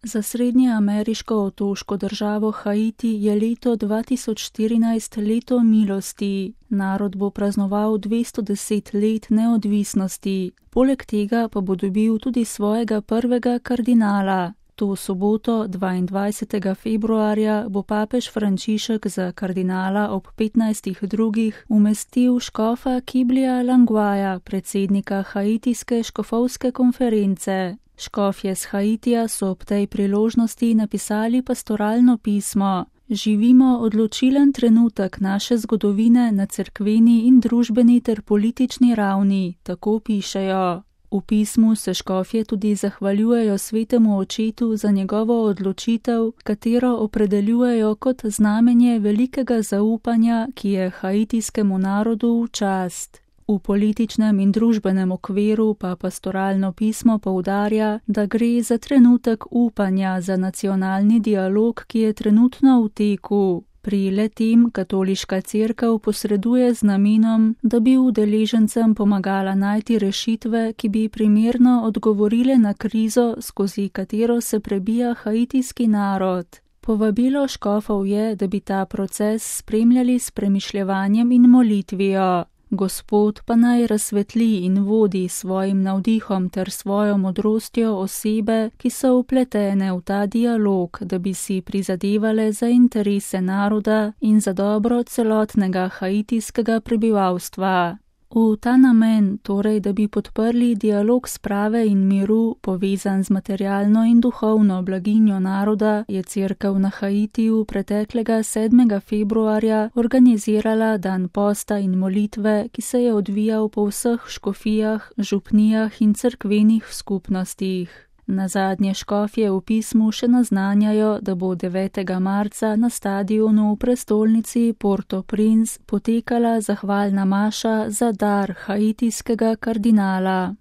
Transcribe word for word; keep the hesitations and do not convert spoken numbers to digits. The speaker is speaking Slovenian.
Za srednjeameriško otoško državo Haiti je leto dva tisoč štirinajst leto milosti. Narod bo praznoval dvesto deset let neodvisnosti. Poleg tega pa bo dobil tudi svojega prvega kardinala. To soboto, dvaindvajsetega februarja, bo papež Frančišek za kardinala ob petnajstih drugih umestil škofa Kiblija Langwaja, predsednika haitijske škofovske konference. Škofje z Haitija so ob tej priložnosti napisali pastoralno pismo. Živimo odločilen trenutek naše zgodovine na cerkveni in družbeni ter politični ravni, tako pišejo. V pismu se škofje tudi zahvaljujejo svetemu očetu za njegovo odločitev, katero opredeljujejo kot znamenje velikega zaupanja, ki je haitijskemu narodu v čast. V političnem in družbenem okviru pa pastoralno pismo poudarja, da gre za trenutek upanja za nacionalni dialog, ki je trenutno v teku. Pri le-tem katoliška cerkev posreduje z namenom, da bi udeležencem pomagala najti rešitve, ki bi primerno odgovorile na krizo, skozi katero se prebija haitijski narod. Povabilo škofov je, da bi ta proces spremljali s premišljevanjem in molitvijo. Gospod pa naj razsvetli in vodi svojim navdihom ter svojo modrostjo osebe, ki so vpletene v ta dialog, da bi si prizadevale za interese naroda in za dobro celotnega haitijskega prebivalstva. V ta namen, torej, da bi podprli dialog sprave in miru, povezan z materialno in duhovno blaginjo naroda, je cerkev na Haitiju preteklega sedmega februarja organizirala dan posta in molitve, ki se je odvijal po vseh škofijah, župnijah in cerkvenih skupnostih. Nazadnje škofje v pismu še naznanjajo, da bo devetega marca na stadionu v prestolnici Port-au-Prince potekala zahvalna maša za dar haitijskega kardinala.